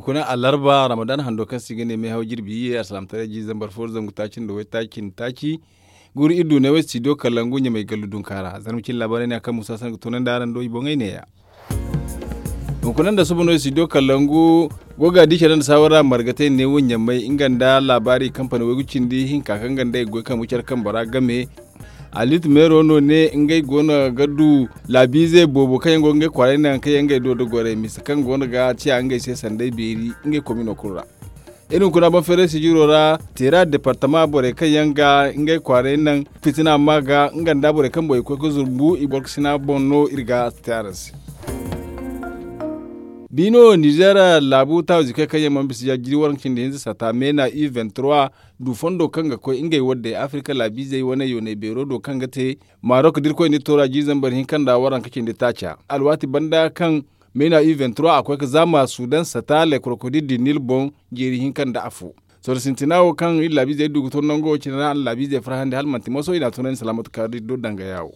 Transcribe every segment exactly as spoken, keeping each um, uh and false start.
Kuna alarba ramadan hando kaŋ se i ga ne meehaw jirbi iyye alsalaamataray jiiri zambar fo zangu taaci nda waytaaci nda taaci. Guru iri du ne way studio kalangu ɲamay gallu dunka ra zarma cine laabaarey ne a kaŋ musa san ga toonandi araŋ do i boŋey neeya. Hunkuna nda suba no studio kalangu go ga di care nda saawara margatey neewo ɲamay nga nda laabaari kampani waygu cindi hinka kaŋ ga nda i ga goy kambu care kambe ra game. Alit meero no ne ngey goono ga du laabiizey boobo kaŋ yaŋ go ga ngey kwaarey naŋ kaŋ yaŋ ngey do da gorey mise kaŋ goono ga ciya ngey se sanday beeri ngey komino kulu ra. Iri hunkuna boŋ feeray sijiro ra teera departama borey kaŋ yaŋ ga ngey kwaarey naŋ fitina ma ga nga nda borey kaŋ boŋ i koy ga zumbu i borkasina boŋ no iri ga te araŋ se. Biino nizer laabu taawizikey kaŋ yaŋ mana bisa ya jiri waranka cindi hinza sata meena u vingt-trois du fondo kaŋ ga koy ngey waddey afirka laabiizey wane yoonay beero do kaŋ ga te marok da irkoy nda iri toora jiiri zambar hinka nda waranka cindi taaca alwaati banda kaŋ meena u vingt-trois a koy ga zaama sudan sata le krokodil du nil boŋ jeeri hinka nda afo. Sorro sintina wo kaŋ iri laabiizey du ga to nango wo cine ra a na laabiizey farhandi hala manti moso i n'a tunandi salaamatu kaari do dangaya wo.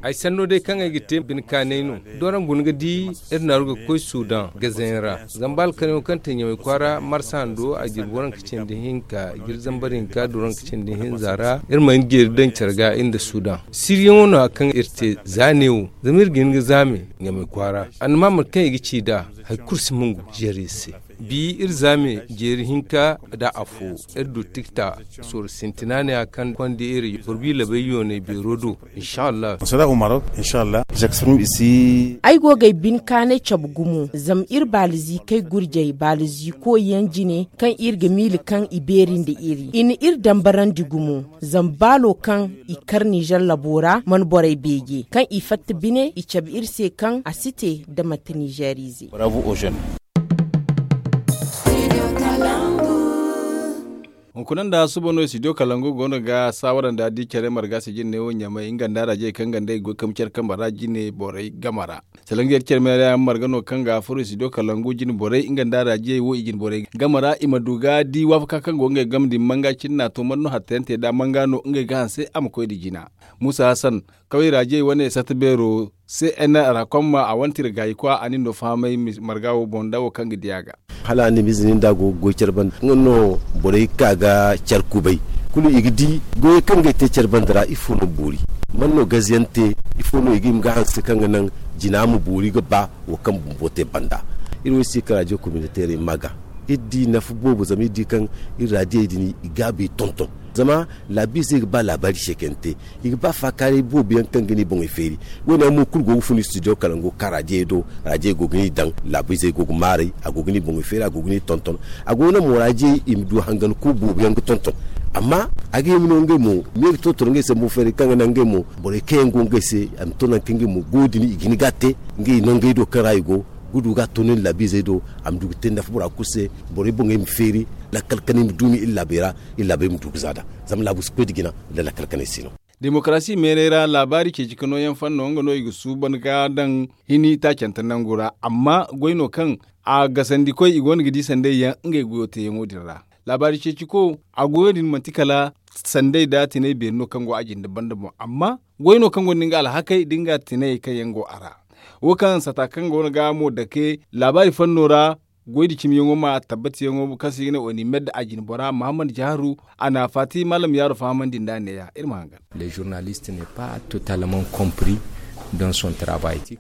Ay sanno day kaŋ ay ga te bine kaanay no. Doraŋ guna ga di iri naaru ga koy sudan gazayaŋ ra zama ba alkanayaŋo kaŋ te ɲamay kwaara marsa hando a jirbi waranka cindi hinka jiri zambar hinka doraŋ ka cindi hinza ra iri ma hin jeeri daŋ care ga iri nda sudan siriyaŋo no hari kaŋ iri te za neewo zama iri ga hin ga zaame ɲamay kwaara annama mate kaŋ i ga ci nd'a hari kulu si mungu zeeri iri se. Bi iri zaame jeeri hinka nda afo iri du tikta sorro sintina ne hari kaŋ konda iri boro bi labay yoonay beero do. Inshallah. Ay go ga ay bine kaanay cabe gumo zama iri baaliziikey gurjey baaliziiko yaŋ jine kaŋ iri ga miila kaŋ i beeri nda iri i na iri dambarandi gumo zama baalo kaŋ i kar nizer labo ra mana borey beeje kaŋ i fatta bine i cabe iri se kaŋ a si te nda manti nizer ize. Hunkuna nda suba no studio kalangu goono ga saawara nda di care marga sijin ne wo ɲamay nga nda raajey kaŋ ga nda i goy kambe care kambe ra jine borey game ra. Salaŋ ga yar care meera yaŋ marga no kaŋ ga furo studio kalangu jine borey nga nda raajey wo i jine borey game ra i ma du ga di waafaka kaŋ go ngey game din manga cine n'a to man no hattayaŋ te nd'a manga no ngey ga hanse a ma koy nda jina. Musa hasan kaway raajey wane sata beero se n ra komma a wane tira gaayi kwa a nin no fahamay marga wo boŋ nda wo kaŋ ga di a ga. Hala a na miize nin da go ga goy care banda nga no borey ga ka ga care kubay kulu i ga di goyey kaŋ ga ay te care banda ra ifo no boori man no gaze yaŋ te ifo no i ga hima ga hanse kaŋ ga naŋ jina ma boori ga ba wo kaŋ bumbo te banda. Iri wo ay si kala radio communautaire i ma ga iri di nafa boobo zama iri di kaŋ iri raadiyey din i gaabu i tonton zama laabiizey ga ba laabaari seekante i ga ba faakaaray boobo yaŋ kaŋ ga ne i boŋey feeri. Wo- ne yaŋ mo kulu go ga fun studio kalango ka raadiyey do. Raadiyey go ga ne i daŋ laabiizey go ga maaray a go ga ne i boŋey feeri a go ga ne i tonton. A go ga naŋ mo raadiyey i ma du hangan ku boobo yaŋ ga tonton. Amma a ga hima no ngey mo me ga tonton ngey se mo feeri kaŋ ga naŋ ngey mo borey kaŋ yaŋ go ngey se a ma to nangu kaŋ ngey mo go din i ga hin ga a te ngey nongey do kaŋ ra i go ga du ga a toonandi laabiizey do. A ma du ga te nafa bora kulu se borey boŋey ma feeri lakkal kanay ma duumi iri laabey ra. Iri laabey ma du ga za nd'a zama laabu si koy nda jina nda lakkal kanay si no. Demokarasi meeray ra laabaari ceeci ka nooyaŋ fanno nga no i ga suuban ga daŋ hini taacante nangu ra amma goy no kaŋ a gasandikoy i go no ga di sanday yaŋ ngey goyo teeyaŋo din ra. Laabaari ceeciko a goyo din manti kala sanday nda tinay beeri no kaŋ go a jinde banda boŋ amma goy no kaŋ gonda nga alhakey nda nga tinayey kaŋ yaŋ go a ra. Wo kaŋ sata kaŋ go no ga mo dake laabaari fanno ra goy nda cimiyaŋo ma tabbatiyaŋo kaŋ se i ga ne onimed a jine bora mahammad jaharu a na faati maalam yaaro fahamandi nd'a neeya iri ma hangan.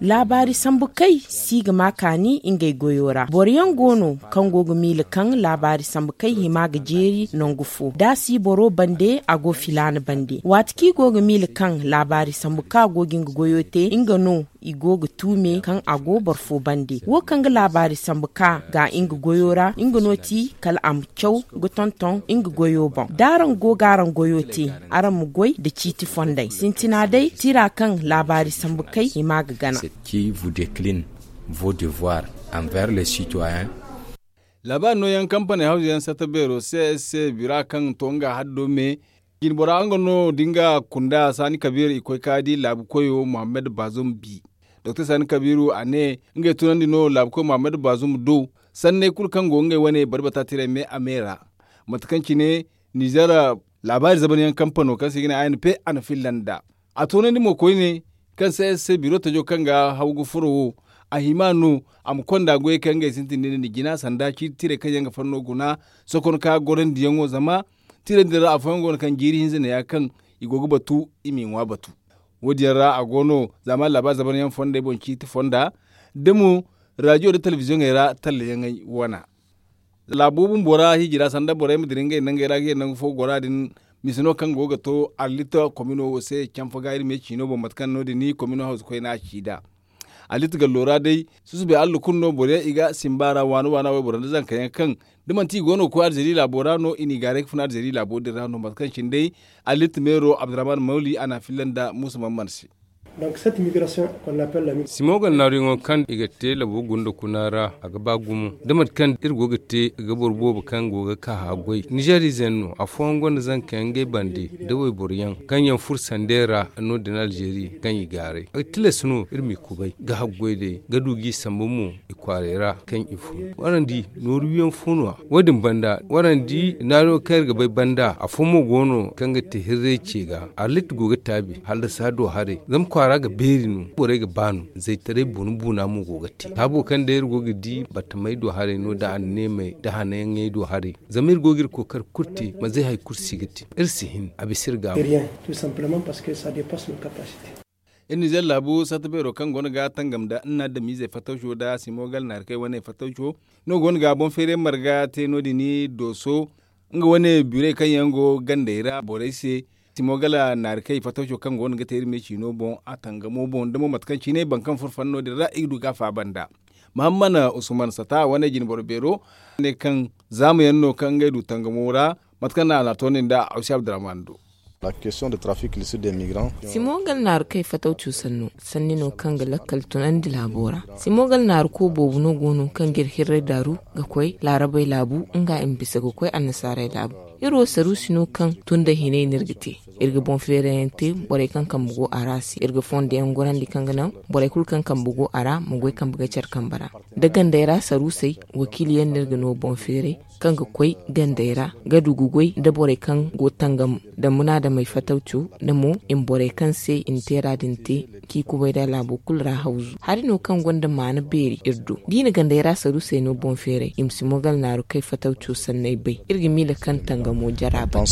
Laabaari sambu kay si ga ma kaani ngey goyo ra boro yaŋ go no kaŋ go ga miila kaŋ laabaari sambu kay hima ga jeeri nangu fo da si boro bande a go filaana bande waati kaŋ i go ga miila kaŋ laabaari sambu kaŋ a go ga nga goyo te nga no i go ga tuume kaŋ a go boro fo bande wo kaŋ ga laabaari sambu ka ga nga goyo ra nga no ti kala a ma caw ga tonton nga goyo boŋ da araŋ go ga araŋ goyo te araŋ ma goy nda ciiti fondey sintina day tira kaŋ laabaari sambu kay i ma ga gana. Laabaari nooyaŋ kampaney hawzuyaŋ satta beero csc bira kaŋ to nga haddo me jinbora nga no da nga kunda saani kabiira i koy ka di laabu koyo muhammad bazum bi doktor saani kabiiru a ne ngey tunandi no laabu koyo muhammad bazum do sanney kulu kaŋ go ngey wane bari bata tiray me a me ra mate kaŋ cine nizer laabaari zabanyaŋ kampano kaŋ se i ga ne a n p a na filla nd'a a tunandi mo koyne kaŋ se ay se biro tajo kaŋ ga haw ga furo wo a hima no a ma konda goyey kaŋ ngey sintin din jina sanda ciiti tirey kaŋ yaŋ ga fanno guna sokon ka gorandiyaŋo zama tirey din ra afooyaŋ go no kaŋ jiiri hinza ne ya kaŋ i go ga batu i m'i ŋwa batu. Wo- din yaŋ ra a go no zaama laabaari zabaryaŋ fondey boŋ ciiti fonda da mo raajiyo nda telebiziyoŋey ra tallayaŋey wana. Laabo bumbo ra hiji ra sanda borey ma dira ngey nangey ra ga ye nangu fo gora din, mise no kaŋ go ga to arlita komino wo se canfa ga iri me ciino boŋ mate kaŋ no- din komino hawzu koyne a ci nd'a. Arlita gallo ra day susubay allah kulu no boro yaŋ i ga simba ra waana waana wayboro nda zanka yaŋ kaŋ da manti i go no ga koy alzeri laabo ra no i n'i gaaray ga funa alzeri laabo din ra no mate kaŋ cine day arlita meero abdurrahman mawli a n'a filla nda muusa mamman se. Simogal naaruyaŋo kaŋ i ga te labo gunda kuna ra a ga ba gumo da mate kaŋ iri go ga te ga boro boobo kaŋ go ga ka haggoy nizeeriize yaŋ no afooyaŋ gonda zanka yaŋ ngey bande da wayboro yaŋ kaŋ yaŋ furo sandey ra no- din alzeeri kaŋ i gaaray a ga tilas no iri m'i kubay ga haggoy day ga du g'i sambu mo i kwaaray ra kaŋ i fun warandi nooru wiyaŋ fo no- ya wo- din banda warandi naariyo kaŋ iri ga bay banda afo mo go no kaŋ ga te hirray ce ga arlit go ga taabi hallasa do haray zama kwaara ga beeri no borey ga ba no zaytaray buna buna mo go ga te taabo kaŋ day iri go ga di battamey do haray no da anneemey da hanayaŋey do haray zama iri go ga iri kookari kulu te manzey hari kulu si ga te iri si hin a bisa iri ga a go. Iri nizer laabu satta beero kaŋ go no ga tangam nda nna adamizey fattawco nda simogal naarikey wane fattawco no go no ga boŋ feeray marga te no- din dooso nga wane burey kaŋ yaŋ go gandey ra borey se simogal naarikey fattawco kaŋ go no ga te iri me ciino boŋ a tangamo boŋ da mo mate kaŋ cine boro kaŋ furo fanno din ra i ga du ga a faaba nda mahammana usman sata wane jinboro beero ne kaŋ zaama yaŋ no kaŋ ngey du tangamo ra mate kaŋ no a n'a toonandi nda awsi abdurrahman do. Simogal naaru kay fatawco sanno sanni no kaŋ ga lakkal tunandi laabo ra. Simogal naaru ko boobo no go no kaŋ ga iri hirray daaru ga koy laarabey laabu nga i ma bisa ga koy annasaarey laabu. Iri wo saruusi no kaŋ tun da hinay no iri ga te. Iri ga boŋ feerayyaŋ te borey kaŋ kambe go a ra se iri ga fondo yaŋ gorandi kaŋ ga naŋ borey kulu kaŋ kambe go a ra ma goy kambe ga care kambe ra. Da gandey ra saruusey wakiili yaŋ no iri ga no boŋ feeray kaŋ ga koy gandey ra ga du ga goy nda borey kaŋ go tangam nda munaadamey fatawco nda mo i ma borey kaŋ se i na teera din te k'i kubay nda laabo kulu ra hawzu hari no kaŋ gonda maana beeri iri do da i na gandey ra saruusey no boŋ feeray i ma si mogal naaru kay fatawco sanney bay iri ga miila kaŋ tangamo jara bay.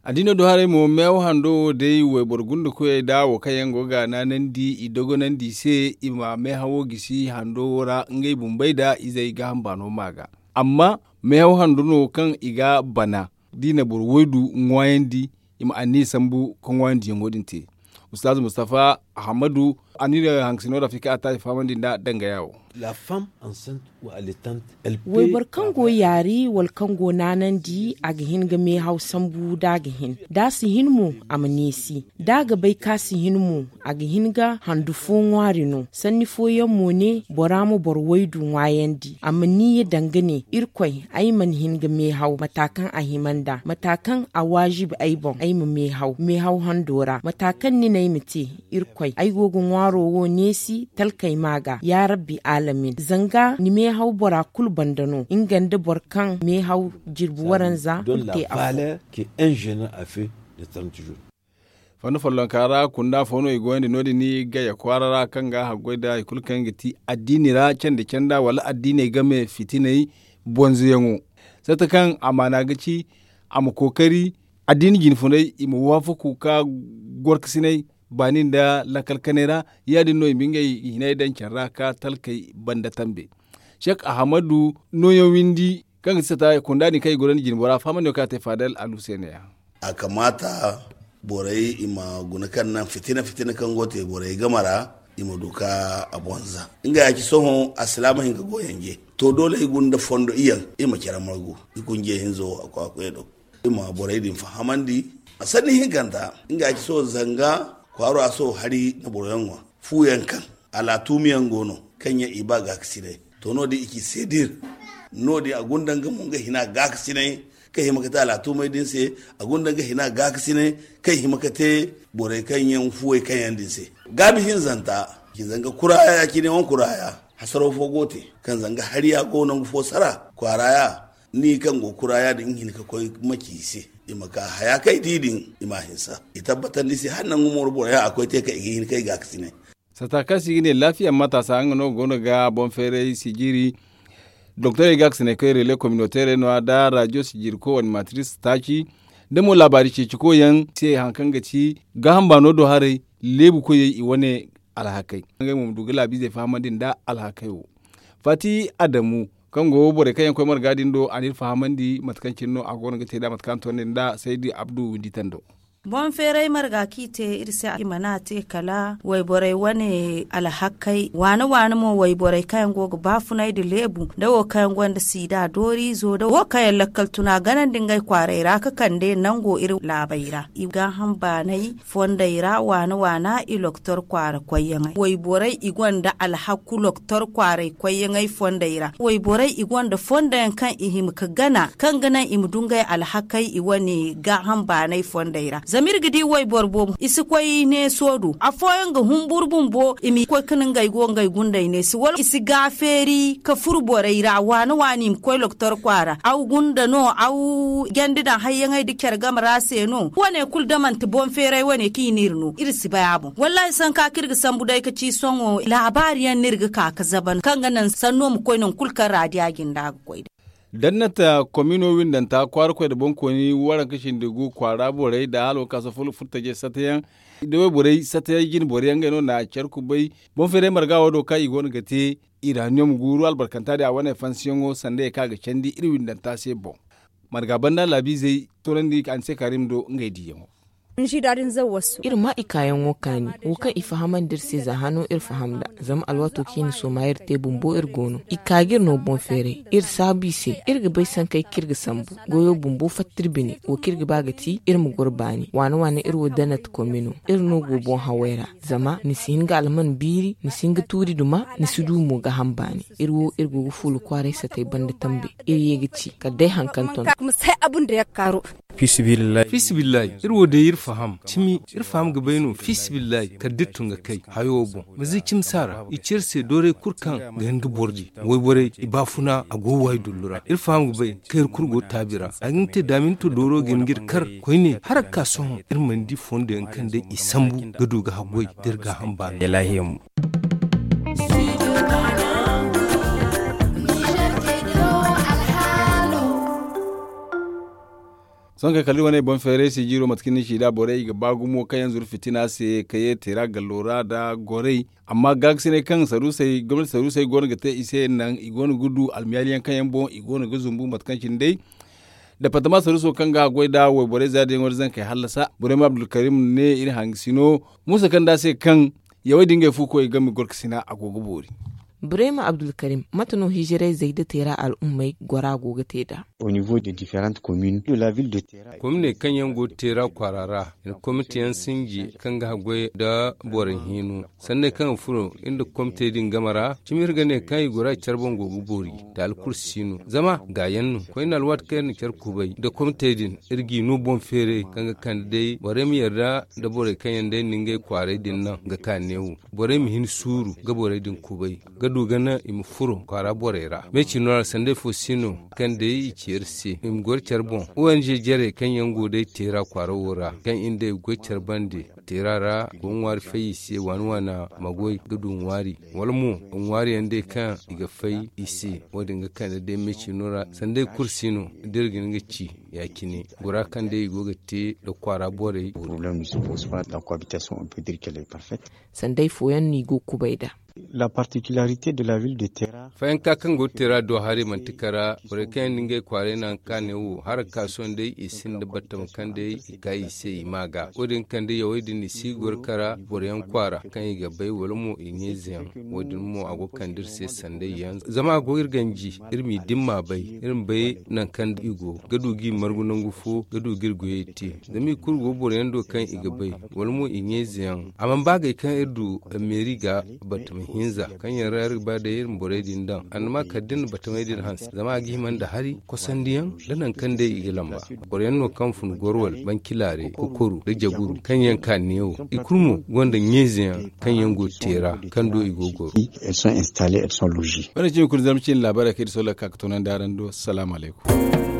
Addiino do haray mo meehaw hando wo day wayboro gunda koyey nda wo kaŋ yaŋ go ga naanandi i dogonandi i se i ma meehawo gisi hando wo ra ngey bumbey nda izey gaaham baano ma ga. Amma meehaw hando no kaŋ i ga bana da i na boro waydu ŋwaayandi i ma anniya sambu ka ŋwaayandiyaŋo din te. Ustaazu mustafa ahamadu a na iri hankasino ra fika a taasi fahamandi nda dangaya wo. Wayboro kaŋ go yaari wala kaŋ go naanandi a ga hin ga meehaw sambu da a ga hin da a si hin mo a ma neesi da a ga bay kaŋ a si hin mo a ga hin ga handu fo ŋwaari no sanni fooyaŋ mo ne bora ma boro waydu ŋwaayandi a ma niiya danga ne irkoy ay mana hin ga meehaw mata kaŋ a hima nd'a mata kaŋ a waajibi ay boŋ ay ma meehaw meehaw hando ra mata kaŋ ni ne ay ma te irkoy ay go ga ŋwaaro wo neesi talkey ma ga ya rabbi alamin zanga ni meehaw bora kulu banda no nga nda boro kaŋ meehaw jirbi waranza kulu te afo. Fanda follonka ra kunda fo no i goyandi no- din gaya kwaara ra kaŋ ga haggoy nda hari kulu kaŋ ga ti addiini ra candi canda wala addiiney game fitiney bonzoyaŋo. Satta kaŋ amaana ga ci a ma kookari addiini jinfuney i ma waafaku ka gorkasiney baani nda lakkal kanay ra ya- din no i ma ngey hinay daŋ care ra ka talkey banda tambe. Cek ahamadu nooyaŋ windi kaŋ ga ti sata kunda din kaŋ i gorandi jinbo ra fahamandi no kaŋ a te faadal alu se ne- ya. A kamaata borey i ma guna kaŋ naŋ fitina fitina kaŋ go te borey game ra i ma du ka a bonza nga ya ci sohõ alsilaama hinka go yanje to doole i gunda fondo iyaŋ i ma care margu i kunje hinzo a kwakuya do i ma borey din fahamandi. A sanni hinkanta nga ya ci sohõ zanga kwaaro a sohõ hari na boroyaŋ ŋwa fuuyaŋ kaŋ alaatuumiyaŋ go no kaŋ yaŋ i ba gaakasinay to no- din i ci seedir no- din a gunda nga mo nga hina gaakasinay kaŋ hima ka te alaatumey din se a gunda nga hina gaakasinay kaŋ hima ka te borey kaŋ yaŋ fuwey kaŋ yaŋ din se. Gaabi hinzanta ci zanga kuraaya cine wane kuraaya hasaro fo go te kaŋ zanga hariya go nangu fo sara kwaaraya ni kaŋ go kuraaya din nga hin ka koy maci i se i ma ka haya kaŋ i di din i ma a hinsa i tabbatandi se hala nangu mooro boroyaŋ a koy te kaŋ i ga hin kaŋ i gaakasinay. Sata kaŋ se i ga ne laafiya mataasa nga no go no ga boŋ feeray sijiri. Doktorey ga a ga sine kay rele kominoteerey no- ya nda rajo sijiriko animatiris taaci. Da mo laabaari ceeciko yaŋ se hari kaŋ ga ci gaaham baano do haray, leebu koyey i wane alhakey. Ngey mo ma du ga laabiizey fahamandi nda alhakey wo. Faati adamu kaŋ go borey kaŋ yaŋ koy marga din do a n'iri fahamandi mate kaŋ cine no a go no ga te nd'a mate kaŋ a na toonandi nd'a saydi abdu windi tando. Boŋ feeray marga kaŋ i te iri se i mana a te kala wayborey wane alhakey waane waane mo wayborey kaŋ yaŋ go ga baafunay nda leebu nda wo kaŋ yaŋ gonda siida dooriizo nda wo kaŋ yaŋ lakkal tuna ganandi ngey kwaaray ra ga kande nango iri laabey ra i gaaham baanay fondey ra waana waana i loktor kwaara koyyaŋey wayborey i gonda alhaku loktor kwaaray koyyaŋey fondey ra wayborey i gonda fondo yaŋ kaŋ i hima ga gana kaŋ ga naŋ i ma du ngey alhakey i wane gaaham baanay fondey ra zama iri ga di wayboro boobo i si koy neeso do afooyaŋ ga humburu bumbo i ma koy ga naŋ ngey go ngey gundey neesi wala i si gaafeeri ga furu borey ra waana waana i ma koy loktor kwaara aw gunda no aw jandi daŋ hayyaŋey nda care game ra se no wane kulu da manti boŋ feeray wane kaŋ i n'iri no iri si bay a boŋ wallaahi sanka kaŋ iri ga sambu day ga ci sohõ laabaari yaŋ no iri ga ka ga zaban kaŋ ga naŋ sanno ma koy nangu kulu kaŋ raadiya jinda ga koy day. Dannata komino windanta kwaara koy nda boŋkooni waranka sindi gu kwaara borey nda hala wo kaŋ a si furo furtaje satayaŋ da wayborey satayaŋ jine boro yaŋ ngey no na care kubay boŋ feeray marga wo do kaŋ i go no ga te iraniyom guuru albarkanta din a wane fansiyaŋo sanda ye kaŋ a ga candi iri windanta se boŋ. Marga banda laabiizey toonandi a ni se kaarim do ngey diiyaŋo. Iri ma i kaayaŋo kaani wo kaŋ i fahamandi iri se za hano iri faham nd'a zama alwaato kaŋ i na sooma iri te bumbo iri go no i ka ga iri no boŋ feeray iri saabu i se iri ga bay sankey kaŋ iri ga sambu goyo bumbo fatta iri bine wo kaŋ iri ga ba ga ti iri ma goro baani waana waana iri wo danat komi no iri no go boŋ hawey ra zama ni si hin ga alman biiri ni si hin ga tuuri duma ni si du mo ga ham baani iri wo iri go ga fuula kwaaray satey banda tambe iri ye ga ci kala day hari kaŋ ton. Fiisabilillahi iri wo day iri faham cimi iri faham ga bay no fiisabilillahi kala da iri tun ga kay hayo wo boŋ ma zay cimi saara i ci iri se dooray kulu kaŋ ga hin ga boro di wayborey i baafuna a go waayi dullu ra iri faham ga bay kaŋ iri kulu go taabi ra a ga hin ga te daaminto dooro ga hin ga iri kar koyne hala ga ka sohõ iri mana di fondo yaŋ kaŋ day i sambu ga du ga haggoy da iri gaaham baano da laahiya mo. Sohõ kay kala iri wane boŋ feeray sijiro mate kaŋ ni ci nd'a borey i ga ba gumo kaŋ yaŋ zuru fitina se ka ye teera gallo ra nda gorey amma gaakasinay kaŋ saruusey gomnati saruusey go no ga te i se naŋ i go no ga du almiyaali yaŋ kaŋ yaŋ boŋ i go no ga zumbu mate kaŋ cine day. Departama saruuso kaŋ ga a goy nd'a wayborey za da yaŋo da zankey hallasa burema abdulkarim ne iri hangasino muusa kaŋ nd'a se kaŋ yawey din ngey fu koy ga ma gorkasina a go ga boori. Burema abdulkarim mate no hijirayzey da teera al'ummey gora go ga te nd'a? Kominey kaŋ yaŋ go teera kwaara ra i na komite yaŋ sinji kaŋ ga haggoy nda borey hino sanney kaŋ ga furo iri nda komitey din game ra cimi iri ga ne kaŋ i gora care boŋ go ga boori taali kulu si no zama gaayaŋ no koyne alwaati kaŋ iri na care kubay nda komitey din iri g'i no boŋ feeray kaŋ ga kande day borey ma yarda nda borey kaŋ yaŋ day na ngey kwaaray din naŋ ga ka neewo borey ma hin suuru ga borey din kubay ga du ga naŋ i ma furo kwaara borey ra me cino ra sanday fo si no kaŋ day i ci iri se i ma goro care boŋ o n g jarey kaŋ yaŋ go day teera kwaara wo ra kaŋ iri day ga goy care bande teera ra go ŋwaari fay i se waani waana ma goy ga du ŋwaari wala mo ŋwaari yaŋ day kaŋ i ga fay i se wo- din ga kande day me cino ra sanday kulu si no da iri ga hin ga ci ya- cine gora kaŋ day i go ga te nda kwaara borey. Sanday fooyaŋ no i go ga kubay nd'a. Fayanka kaŋ go ga teera do haray manti kara borey kaŋ yaŋ da ngey kwaaray naŋ kaŋ a ne wo haraka sohõ day i sinda battam kaŋ day i ka i se i ma ga wo- din kaŋ day yawey din i si goro kara boroyaŋ kwaara kaŋ i ga bay wala mo i ɲayze yaŋ wo- din mo a go ga kande iri se sanday yaŋ zama a go iri ganji iri m'i dimma bay iri ma bay nangu kaŋ i go ga du g'i margu nangu fo ga du g'iri goyey te zama i kulu go boroyaŋ do kaŋ i ga bay wala mo i ɲayze yaŋ a mana ba agay kaŋ iri du meeri ga batama hinza kaŋ yaŋ ra iri ga ba day iri ma borey din daŋ annama kala da iri na batamey din hanse zama a ga hima nda hari kosandiyaŋ nda nangu kaŋ day i ga lamba boroyaŋ no kaŋ fun goro wala bancilaare kokoru nda jaguru kaŋ yaŋ ka neewo i kulu mo gonda ɲayze yaŋ kaŋ yaŋ go ga teera kaŋ do i go ga goro. Wane cimi kulu zarma ciine laabaarey kaŋ iri sohõ ga ka ga toonandi araŋ do salaamu alaykum.